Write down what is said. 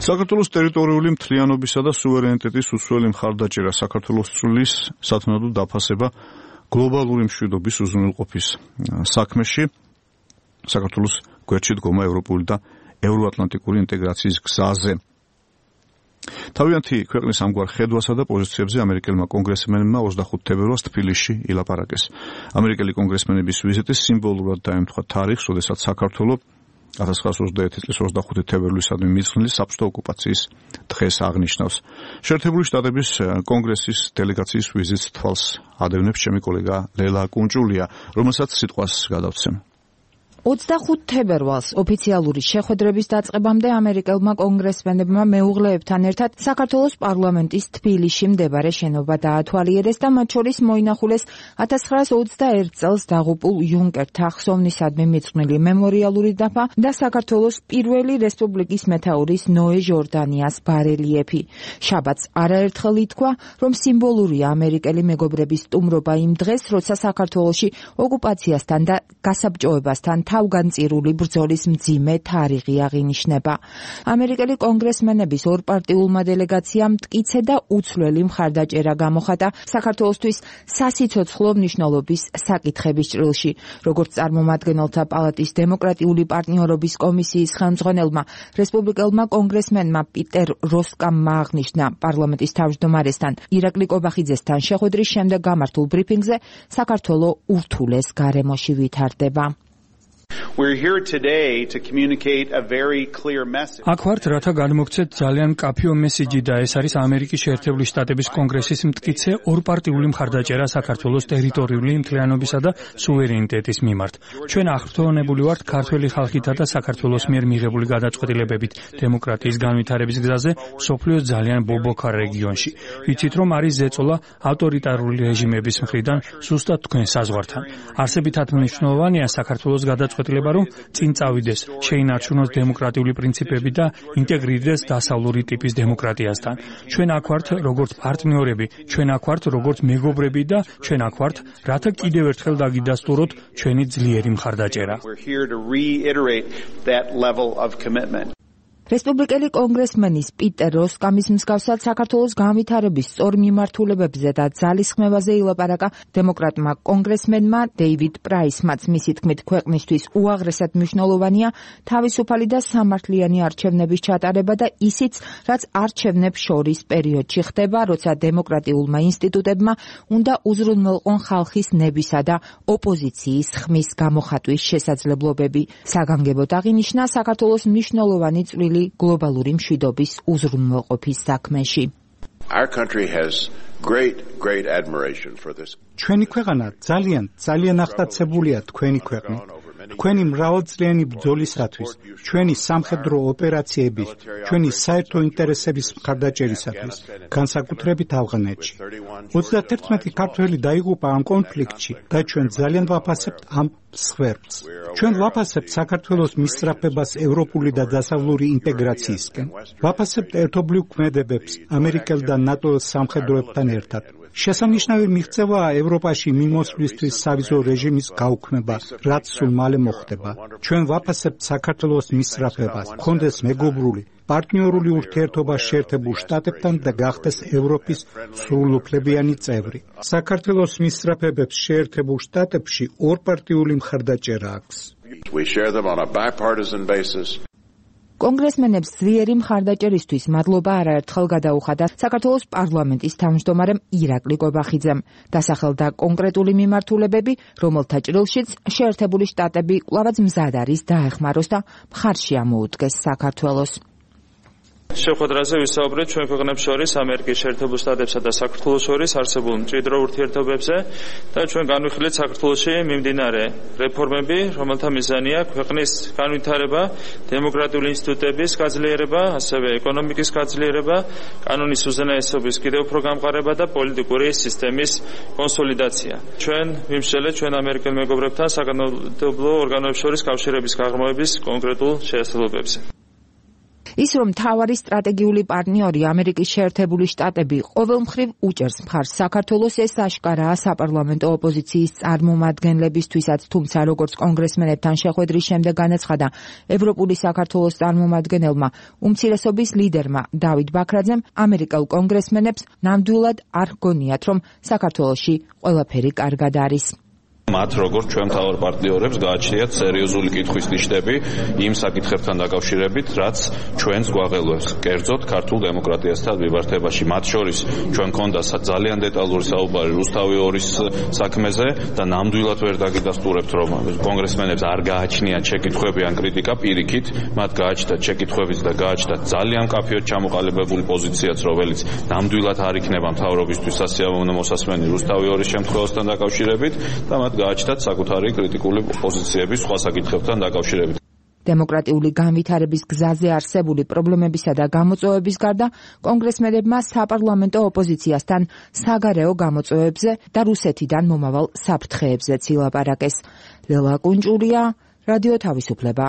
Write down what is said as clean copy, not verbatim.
საქართველოს ტერიტორიული მთლიანობისა და სუვერენიტეტის უცვლელი მხარდაჭერა, საქართველოს წვლის სათანადო დაფასება გლობალური მშვიდობის უზრუნველყოფის საქმეში, საქართველოს გვერდში დგომა ევროპული და ევროატლანტიკური ინტეგრაციის გზაზე. თავიანთი ქვეყნის ამგვარ ხედვასა და პოზიციებზე ამერიკელმა კონგრესმენებმა 25 თებერვალს თბილისში ილაპარაკეს. ამერიკელი კონგრესმენების ვიზიტი სიმბოლურად დაემთხვა თარიღს, როდესაც საქართველო 1921 წლის 25 თებერვლისადმი მიძღვნილი საბჭოთა ოკუპაციის დღეს აღნიშნავს. შეერთებული შტატების კონგრესის დელეგაციის ვიზიტს თვალს ადევნებს ჩემი კოლეგა ლელა კუნჭულია, რომელსაც სიტყვას გადავცემ. 25 თებერვალს ოფიციალური შეხვედრების დაწყებამდე ამერიკელმა კონგრესმენებმა მეუღლეებთან ერთად საქართველოს პარლამენტის თბილისში მდებარე შენობა დაათვალიერეს და მათ შორის მოინახულეს 1921 წელს დაღუპულ იუნკერთა ხსოვნისადმი მიძღვნილი მემორიალური დაფა და საქართველოს პირველი რესპუბლიკის მეთაურის ნოე ჟორდანიას ბარელიეფი. შაბათს არაერთხელ ითქვა, რომ სიმბოლურია ამერიკელი მეგობრების სტუმრობა იმ დღეს, როცა საქართველოში ოკუპაციასთან და გასაბჭოებასთან თავგანწირული ბრძოლის მძიმე თარიღი აღინიშნება. ამერიკელი კონგრესმენების ორპარტიულმა დელეგაციამ მტკიცე და უცვლელი მხარდაჭერა გამოხატა საქართველოსთვის სასიცოცხლო მნიშვნელობის საკითხების ჭრილში. როგორც წარმომადგენელთა პალატის დემოკრატიული პარტნიორობის კომისიის ხელმძღვანელმა რესპუბლიკელმა კონგრესმენმა პიტერ როსკამმა აღნიშნა პარლამენტის თავმჯდომარესთან ირაკლი კობახიძესთან შეხვედრის შემდეგ გამართულ ბრიფინგზე, საქართველო ურთულეს გარემოში ვითარდება. აქ ვართ, რათა გადმოგცეთ ძალიან მკაფიო მესიჯი და ეს არის ამერიკის შეერთებული შტატების კონგრესის მტკიცე ორპარტიული მხარდაჭერა საქართველოს ტერიტორიული მთლიანობისა და სუვერენიტეტის მიმართ. ჩვენ აღფრთოვანებული ვართ ქართველი ხალხითა და საქართველოს მიერ მიღებული გადაწყვეტილებებით დემოკრატიის განვითარების გზაზე მსოფლიოს ძალიან ბობოქა რეგიონში. ვიცით, რომ არის ზეწოლა ავტორიტარული რეჟიმების მხრიდან ზუსტად თქვენ საზღვართან. არსებითად მნიშვნელოვანია საქართველოს გადაწყვეტილება, რომ წინ წავიდეს, შეინარჩუნოს დემოკრატიული პრინციპები და ინტეგრირდეს დასავლური ტიპის დემოკრატიასთან. ჩვენ აქ ვართ როგორც პარტნიორები, ჩვენ აქ ვართ როგორც მეგობრები და ჩვენ აქ ვართ, რათა კიდევ ერთხელ დაგიდასტუროთ ჩვენი ძლიერი მხარდაჭერა. რესპუბლიკელი კონგრესმენის პიტერ როსკამის მსგავსად საქართველოს განვითარების სწორ მიმართულებებზე და ძალისხმევაზე ილაპარაკა დემოკრატმა კონგრესმენმა დეივიდ პრაისმაც. მისი თქმით, ქვეყნისთვის უაღრესად მნიშვნელოვანია თავისუფალი და სამართლიანი არჩევნების ჩატარება და ისიც, რაც არჩევნებს შორის პერიოდში ხდება, როცა დემოკრატიულმა ინსტიტუტებმა უნდა უზრუნველყონ ხალხის ნებისა და ოპოზიციის ხმის გამოხატვის შესაძლებლობები. საგანგებოდ აღინიშნა საქართველოს მნიშვნელოვანი წვლილი გლობალური მშვიდობის უზრუნველყოფის საქმეში. ჩვენი ქვეყანა ძალიან აღტაცებულია თქვენი ქვეყნით. თქვენი მრავალწლიანი ბრძოლისათვის, ჩვენი სამხედრო ოპერაციების, ჩვენი საერთო ინტერესების მხარდაჭერისათვის, განსაკუთრებით ავღანეთში. 31 ქართველი დაიღუპა ამ კონფლიქტში და ჩვენ ძალიან ვაფასებთ ამ მსხვერპლს. ჩვენ ვაფასებთ საქართველოს მისწრაფებას ევროპული და დასავლური ინტეგრაციისკენ. ვაფასებთ ერთობლივ ქმედებებს ამერიკელ და ნატოს სამხედროებთან ერთად. შესანიშნავი მიღწევაა ევროპაში მიმოსვლისთვის სავიზო რეჟიმის გაუქმება, რაც სულ მალე მოხდება. ჩვენ ვაფასებთ საქართველოს მისწრაფებას, გქონდეს მეგობრული, პარტნიორული ურთიერთობა შეერთებულ შტატებთან და გახდეს ევროპის სრულუფლებიანი წევრი. საქართველოს მისწრაფებებს შეერთებულ შტატებში ორპარტიული მხარდაჭერა აქვს. კონგრესმენებს ძლიერი მხარდაჭერისთვის მადლობა არაერთხელ გადაუხადა საქართველოს პარლამენტის თავმჯდომარემ ირაკლი კობახიძემ. დასახელდა კონკრეტული მიმართულებები, რომელთა ჭრილშიც შეერთებული შტატები კვლავაც მზად არის დაეხმაროს და მხარში ამოუდგეს საქართველოს. შეხვედრაზე ვისაუბრეთ ჩვენ ქვეყნებს შორის ამერიკის შეერთებულ შტატებსა და საქართველოს შორის არსებულ მჭიდრო ურთიერთობებზე და ჩვენ განვიხილეთ საქართველოში მიმდინარე რეფორმები, რომელთა მიზანია ქვეყნის განვითარება, დემოკრატიული ინსტიტუტების გაძლიერება, ასევე ეკონომიკის გაძლიერება, კანონის უზენაესობის კიდევ უფრო გამყარება და პოლიტიკური სისტემის კონსოლიდაცია. ჩვენ ვიმსჯელეთ ჩვენ ამერიკელ მეგობრებთან საკანონმდებლო ორგანოებს შორის კავშირების გაღრმავების კონკრეტულ შესაძლებლობებზე. ის რომ მთავარი სტრატეგიული პარტნიორი ამერიკის შეერთებული შტატები ყოველ მხრივ უჭერს მხარს საქართველოს, ეს აშკარაა საპარლამენტო ოპოზიციის წარმომადგენლებისთვისაც, თუმცა როგორც კონგრესმენებთან შეხვედრის შემდეგ განაცხადა ევროპული საქართველოს წარმომადგენელმა უმცირესობის ლიდერმა დავით ბაქრაძემ, ამერიკელ კონგრესმენებს ნამდვილად არ ჰგონიათ, რომ საქართველოში ყველაფერი კარგად არის. მათ როგორც ჩვენ მთავარ პარტნიორებს გააჩნიათ სერიოზული კითხვის ნიშნები იმ საკითხებთან დაკავშირებით, რაც ჩვენს გვაღელვებს, კერძოდ ქართულ დემოკრატიასთან მიმართებაში. მათ შორის ჩვენ გქონდა ძალიან დეტალური საუბარი რუსთავი 2-ის საქმეზე და ნამდვილად ვერ დაგიდასტურებთ, რომ კონგრესმენებს არ გააჩნიათ შეკითხვები ან კრიტიკა, პირიქით, მათ გააჩნდათ შეკითხვებიც და გააჩნდათ ძალიან კაფეოდ ჩამოყალიბებული პოზიციაც, რომელიც ნამდვილად არ იქნება მთავრობისთვის სასიამოვნო მოსასმენი რუსთავი 2-ის შემთხვევასთან დაკავშირებით და მათ გააჩნდათ საკუთარი კრიტიკული პოზიციები სხვა საკითხებთან დაკავშირებით. დემოკრატიული განვითარების გზაზე არსებული პრობლემებისა და გამოწვევების გარდა კონგრესმენებმა საპარლამენტო ოპოზიციასთან საგარეო გამოწვევებზე და რუსეთიდან მომავალ საფრთხეებზეც ილაპარაკეს. ლელა კუნჭურია, რადიო თავისუფლება,